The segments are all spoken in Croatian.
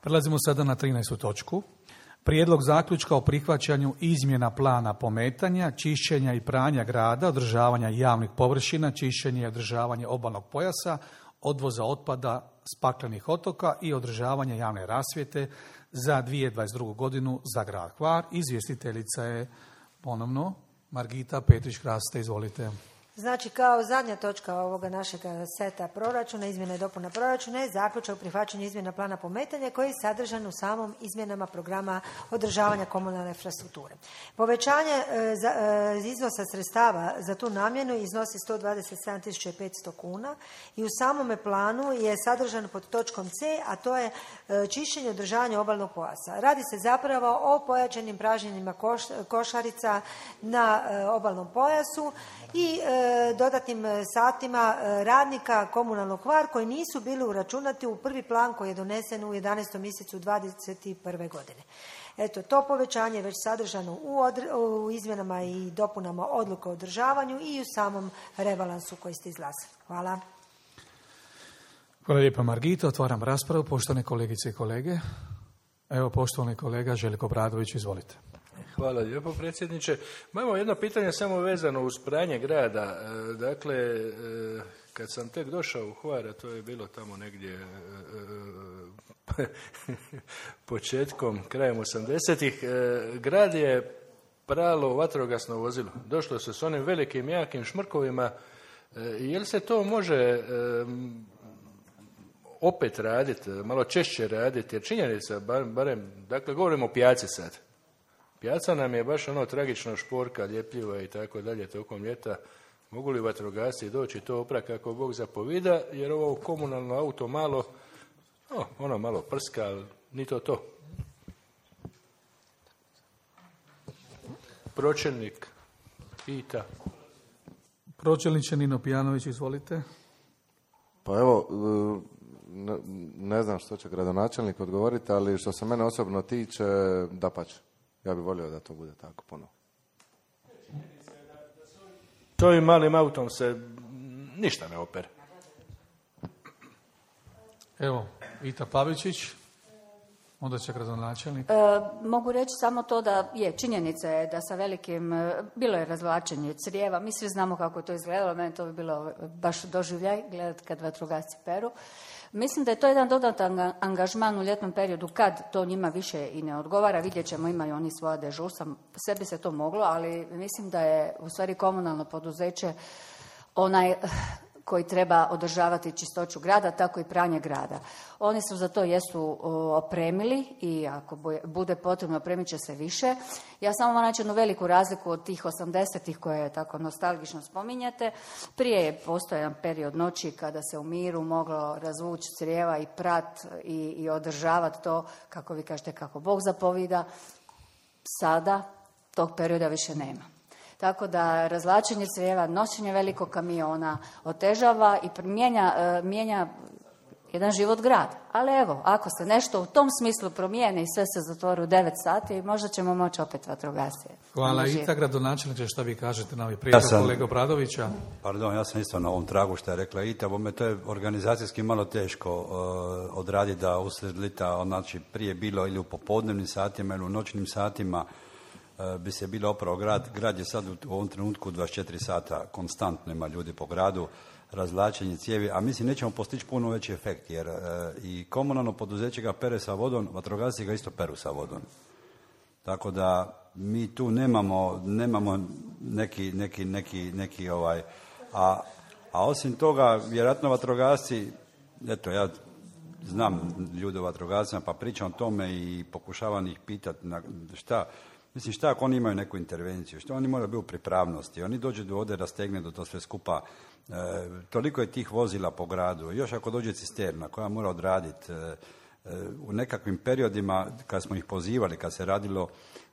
Prelazimo sada na 13. točku. Prijedlog zaključka o prihvaćanju izmjena plana pometanja, čišćenja i pranja grada, održavanja javnih površina, čišćenje i održavanje obalnog pojasa, odvoza otpada s paklenih otoka i održavanje javne rasvjete za 2022. godinu za grad Hvar. Izvjestiteljica je ponovno Margita Petrić-Kraste. Izvolite. Znači, kao zadnja točka ovoga našeg seta proračuna, izmjena i dopuna proračuna, je zaključak o prihvaćanju izmjena plana pometanja koji je sadržan u samom izmjenama programa održavanja komunalne infrastrukture. Povećanje iznosa sredstava za tu namjenu iznosi 127.500 kuna i u samome planu je sadržan pod točkom C, a to je čišćenje i održavanje obalnog pojasa. Radi se zapravo o pojačanim pražnjenjima košarica na obalnom pojasu i dodatnim satima radnika komunalnog Hvar koji nisu bili uračunati u prvi plan koji je donesen u 11. mjesecu 2021. godine. Eto, to povećanje je već sadržano u izmjenama i dopunama odluke o održavanju i u samom rebalansu koji ste izglasali. Hvala. Hvala lijepa, Margita. Otvaram raspravu. Poštovane kolegice i kolege. Evo, poštovani kolega Željko Obradović, izvolite. Hvala lijepo, predsjedniče. Imamo jedno pitanje samo vezano uz pranje grada. Dakle, kad sam tek došao u Hvar, a to je bilo tamo negdje početkom, krajem 80-ih, grad je pralo vatrogasno vozilo. Došlo se s onim velikim, jakim šmrkovima. Je li se to može opet raditi, malo češće raditi? Jer činjenica, barem, dakle, govorimo o pijaci sad. Pijaca nam je baš ono tragično šporka, ljepljiva i tako dalje tokom ljeta. Mogu li vatrogasci doći to oprat kako Bog zapovida, jer ovo komunalno auto malo, ono malo prska, ali ni to. Pročelnik pita. Pročelniče Nino Pijanović, izvolite. Pa evo, ne znam što će gradonačelnik odgovoriti, ali što se mene osobno tiče, dapače. Ja bih volio da to bude tako puno. S ovim malim autom se ništa ne opere. Evo, Ita Pavičić, onda će gradonačelnik. Mogu reći samo to da je činjenica je da sa velikim, bilo je razvlačenje crijeva, mi svi znamo kako je to izgledalo, meni to bi bilo baš doživljaj gledati kad vatrogasci peru. Mislim da je to jedan dodatan angažman u ljetnom periodu kad to njima više i ne odgovara. Vidjet ćemo, imaju oni svoja dežurstva, sebi se to moglo, ali mislim da je u stvari komunalno poduzeće onaj koji treba održavati čistoću grada, tako i pranje grada. Oni su za to jesu opremili i ako bude potrebno opremit će se više. Ja samo moram naći jednu veliku razliku od tih 80-ih koje tako nostalgično spominjete. Prije je postojao jedan period noći kada se u miru moglo razvući crijeva i prat i održavati to, kako vi kažete, kako Bog zapovida. Sada tog perioda više nema. Tako da razvlačenje crijeva, nošenje velikog kamiona otežava i mijenja jedan život grada. Ali evo, ako se nešto u tom smislu promijeni i sve se zatvori u 9 sati, možda ćemo moći opet vatrogasce. Hvala. Ita, gradonačelniče, što vi kažete na ovaj prijedlog kolega Obradovića? Pardon, ja sam isto na ovom tragu što je rekla Ita, bome to je organizacijski malo teško odraditi da usred lita, znači prije bilo ili u popodnevnim satima ili u noćnim satima, bi se bilo opravo grad. Grad je sad u ovom trenutku 24 sata konstantno ima ljudi po gradu, razvlačenje cijevi, a mislim nećemo postići puno veći efekt, jer i komunalno poduzeće ga pere sa vodom, vatrogasci ga isto peru sa vodom. Tako da mi tu nemamo neki a osim toga, vjerojatno vatrogasci, eto ja znam ljude u vatrogascima pa pričam o tome i pokušavam ih pitati šta ako oni imaju neku intervenciju, što oni moraju biti u pripravnosti, oni dođu do ovdje, rastegne do to sve skupa, toliko je tih vozila po gradu, još ako dođe cisterna koja mora odraditi, u nekakvim periodima kad smo ih pozivali, kad se radilo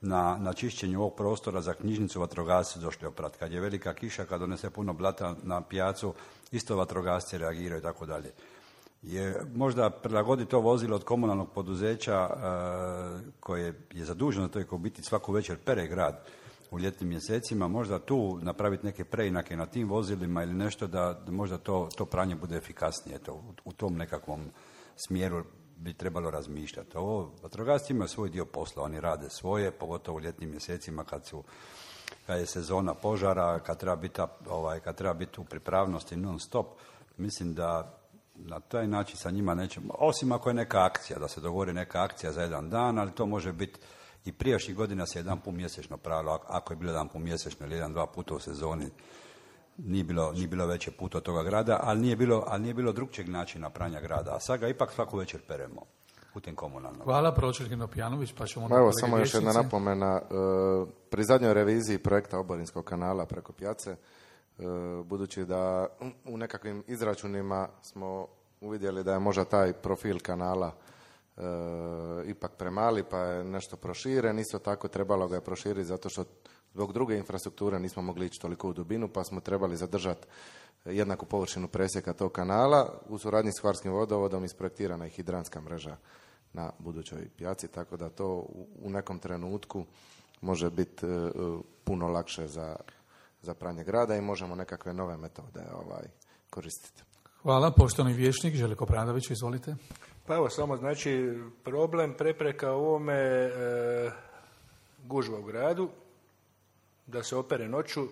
na čišćenju ovog prostora za knjižnicu, vatrogasci došli oprat, kad je velika kiša, kad donese puno blata na pijacu, isto vatrogasci reagiraju i tako dalje. Je možda prilagoditi to vozilo od komunalnog poduzeća koje je zaduženo to je kao biti svaku večer pere grad u ljetnim mjesecima, možda tu napraviti neke preinake na tim vozilima ili nešto da možda to pranje bude efikasnije. U tom nekakvom smjeru bi trebalo razmišljati. Ovo, vatrogasci imaju svoj dio posla, oni rade svoje, pogotovo u ljetnim mjesecima kad je sezona požara, kad treba biti u pripravnosti non stop. Mislim da na taj način sa njima nećemo, osim ako je neka akcija, da se dogovori neka akcija za jedan dan, ali to može biti i prijašnjih godina se jedan put mjesečno pravilo, ako je bilo jedan put mjesečno ili jedan, dva puta u sezoni, nije bilo veće puta od toga grada, ali nije bilo drugčijeg načina pranja grada, a sad ga ipak svaku večer peremo putem komunalnog. Hvala, pročelnik Nopijanović, pa ćemo... Evo, samo još jedna napomena. Pri zadnjoj reviziji projekta Oborinskog kanala preko Pjace, budući da u nekakvim izračunima smo uvidjeli da je možda taj profil kanala ipak premali, pa je nešto proširen. Isto tako trebalo ga je proširiti zato što zbog druge infrastrukture nismo mogli ići toliko u dubinu, pa smo trebali zadržati jednaku površinu presjeka tog kanala. U suradnji s Hvarskim vodovodom isprojektirana je hidranska mreža na budućoj Pjaci, tako da to u nekom trenutku može biti puno lakše za pranje grada i možemo nekakve nove metode koristiti. Hvala. Poštovani vijećnik Željko Brandović, izvolite. Pa evo, samo znači problem, prepreka u ovome gužva u gradu, da se opere noću,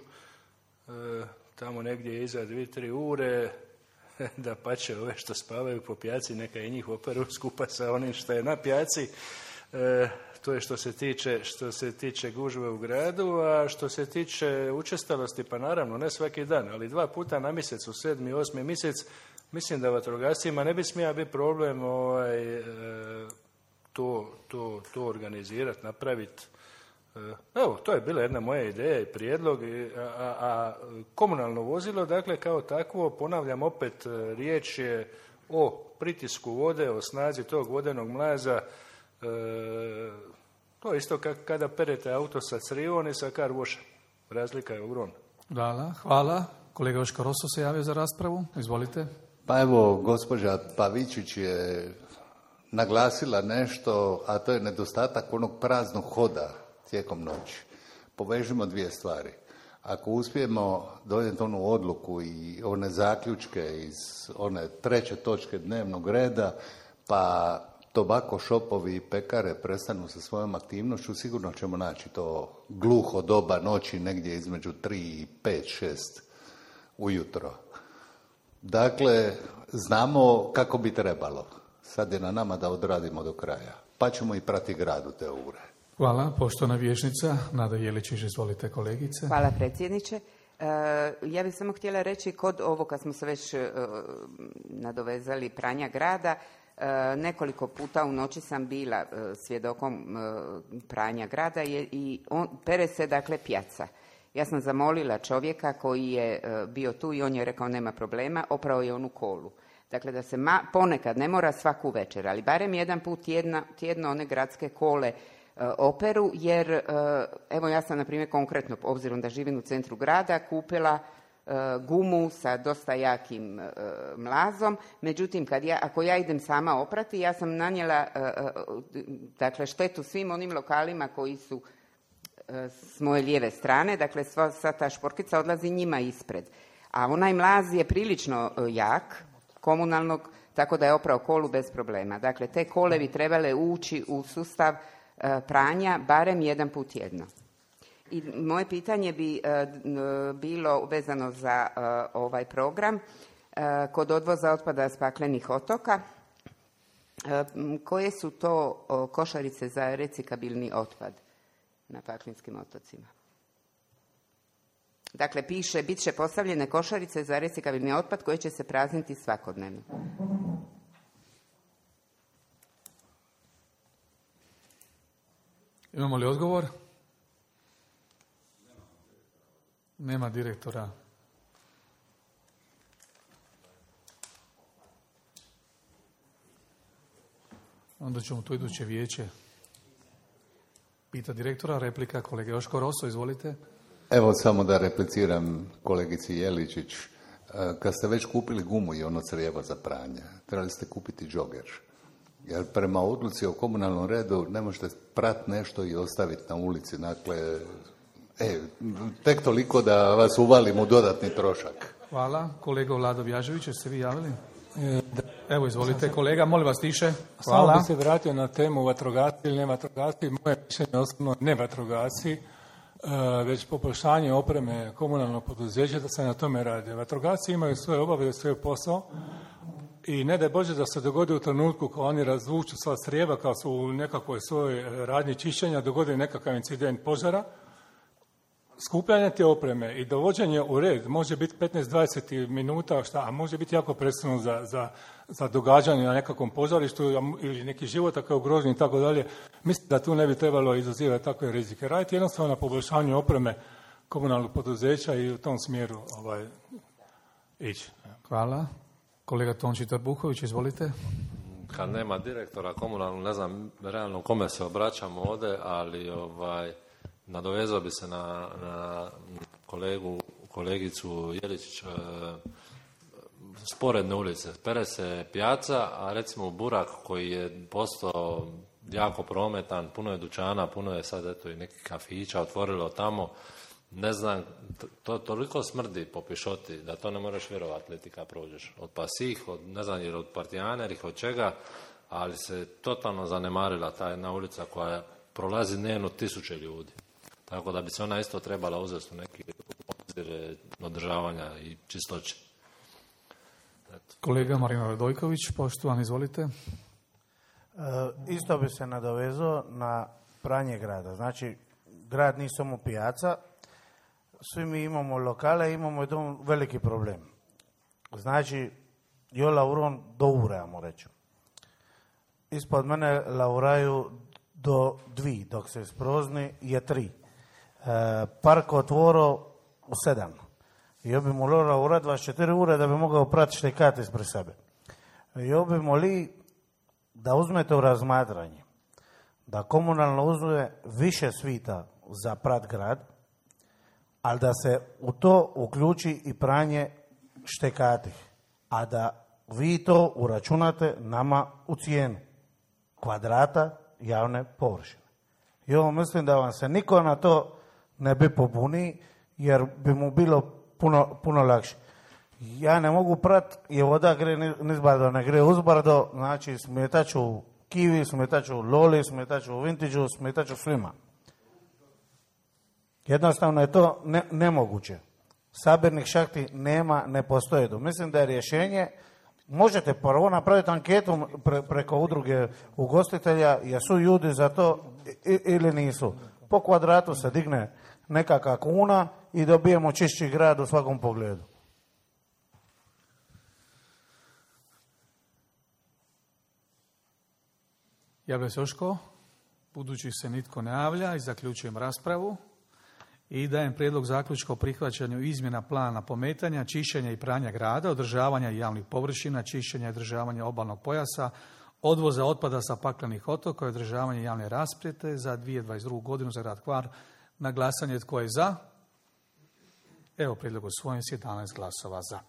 tamo negdje iza 2-3 ure, da pače ove što spavaju po Pjaci, neka i njih operu skupa sa onim što je na Pjaci. To je što se tiče gužve u gradu, a što se tiče učestalosti, pa naravno ne svaki dan, ali 2 puta na mjesec, u 7. i 8. mjesec, mislim da vatrogascima ne bi smija biti problem to organizirati, napraviti. Evo, to je bila jedna moja ideja i prijedlog, a komunalno vozilo, dakle, kao takvo, ponavljam opet, riječ je o pritisku vode, o snazi tog vodenog mlaza. To je isto kada perete auto sa crivom i sa car washa. Razlika je ogromna. Hvala. Kolega Joško Rosso se javio za raspravu. Izvolite. Pa evo, gospođa Pavičić je naglasila nešto, a to je nedostatak onog praznog hoda tijekom noći. Povežimo 2 stvari. Ako uspijemo donijeti onu odluku i one zaključke iz one 3. točke dnevnog reda, pa tobako šopovi i pekare prestanu sa svojom aktivnošću, sigurno ćemo naći to gluho doba noći negdje između 3 i 5, 6 ujutro. Dakle, znamo kako bi trebalo. Sad je na nama da odradimo do kraja. Pa ćemo i prati grad u te ure. Hvala. Poštovana vijećnica Nada Jeličić, izvolite kolegice. Hvala predsjedniče. Ja bih samo htjela reći kod ovo kad smo se već nadovezali pranja grada, nekoliko puta u noći sam bila svjedokom pranja grada i pere se dakle Pjaca. Ja sam zamolila čovjeka koji je bio tu i on je rekao nema problema, oprao je onu kolu. Dakle, da se ponekad, ne mora svaku večer, ali barem jedan put tjedno one gradske kole operu, jer evo ja sam na primjer konkretno, obzirom da živim u centru grada, kupila gumu sa dosta jakim mlazom, međutim ako ja idem sama oprati, ja sam nanijela dakle štetu svim onim lokalima koji su s moje lijeve strane, dakle sva ta šporkica odlazi njima ispred. A onaj mlaz je prilično jak, komunalnog, tako da je oprao kolu bez problema. Dakle, te kole bi trebale ući u sustav pranja barem jedan put tjedno. I moje pitanje bi bilo vezano za ovaj program kod odvoza otpada s paklenih otoka. Koje su to košarice za recikabilni otpad na paklinskim otocima? Dakle, piše, bit će postavljene košarice za recikabilni otpad koje će se prazniti svakodnevno. Imamo li odgovor? Nema direktora. Onda ćemo to iduće vijeće. Pita direktora, replika kolege Joško Rosso, izvolite. Evo samo da repliciram kolegici Jeličić. Kad ste već kupili gumu i ono crijeva za pranje, trebali ste kupiti džoger. Jer prema odluci o komunalnom redu ne možete prati nešto i ostaviti na ulici. Dakle, tek toliko da vas uvalim u dodatni trošak. Hvala. Kolega Vlado Vjažević, jeste vi javili? Da. Evo, izvolite kolega, molim vas tiše. Samo Hvala. bi se vratio na temu vatrogasci ili ne vatrogasci. Moje mišljenje osobno ne vatrogasci, već poboljšanje opreme komunalnog poduzeća, da se na tome radi. Vatrogasci imaju svoje obaveze, svoj posao i ne daj Bože da se dogodi u trenutku kao oni razvuču sva strijeba, kao su u nekakvoj svojoj radnji čišćenja, dogodi nekakav incident požara. Skupljanje te opreme i dovođenje u red može biti 15-20 minuta, a može biti jako presudno za događanje na nekakvom požarištu ili neki život ako je ugrožen i tako dalje. Mislim da tu ne bi trebalo izazivati takve rizike. Raditi jednostavno na poboljšanju opreme komunalnog poduzeća i u tom smjeru ići. Hvala. Kolega Tonči Trbuhović, izvolite. Kad nema direktora komunalnog, ne znam realno kome se obraćamo ovdje, ali nadovezao bi se na kolegicu Jeličić. Sporedne ulice, pere se pijaca, a recimo Burak koji je postao jako prometan, puno je dućana, puno je sad eto i nekih kafića otvorilo tamo, ne znam, to toliko smrdi po pišoti da to ne moraš vjerovati leti kad prođeš. Od pasih, ne znam jer od partijanerih, od čega, ali se totalno zanemarila ta jedna ulica koja prolazi dnevno 1000 ljudi. Tako da bi se ona isto trebala uzeti u neki obzir održavanja i čistoće. Kolega Marino Radojković, poštovani, izvolite. Isto bi se nadovezao na pranje grada. Znači, grad nije samo pijaca, svi mi imamo lokale, imamo jedan veliki problem. Znači, jo lauron do ure, ajmo reći. Ispod mene lauraju do 2, dok se isprozni je 3. Park otvoro u 7. Jo bi morao urad 24 ure da bi mogao pratiti štekat ispred sebe. Jo bi moli da uzmete u razmatranje da komunalno uzme više svita za prat grad, ali da se u to uključi i pranje štekatih, a da vi to uračunate nama u cijenu kvadrata javne površine. I ovo mislim da vam se niko na to ne bi pobuni, jer bi mu bilo puno lakše. Ja ne mogu prat, jer voda gre nizbardo, ne gre uzbardo, znači smetaću Kiwi, smetaću Loli, smetaću Vintage, smetaću svima. Jednostavno je to nemoguće. Sabirnih šahti nema, ne postoje. Mislim da je rješenje, možete prvo napraviti anketu preko udruge ugostitelja, jesu ljudi za to ili nisu. Po kvadratu se digne nekakva kuna i dobijemo čišći grad u svakom pogledu. Javlja se još ko? Budući se nitko ne javlja i zaključujem raspravu i dajem prijedlog zaključka o prihvaćanju izmjena plana pometanja, čišćenja i pranja grada, održavanja javnih površina, čišćenja i održavanja obalnog pojasa, odvoza otpada sa paklenih otoka i održavanje javne rasvjete za 2022. godinu za grad Hvar. Na glasanje tko je za? Evo prijedlog usvojen s 11 glasova za.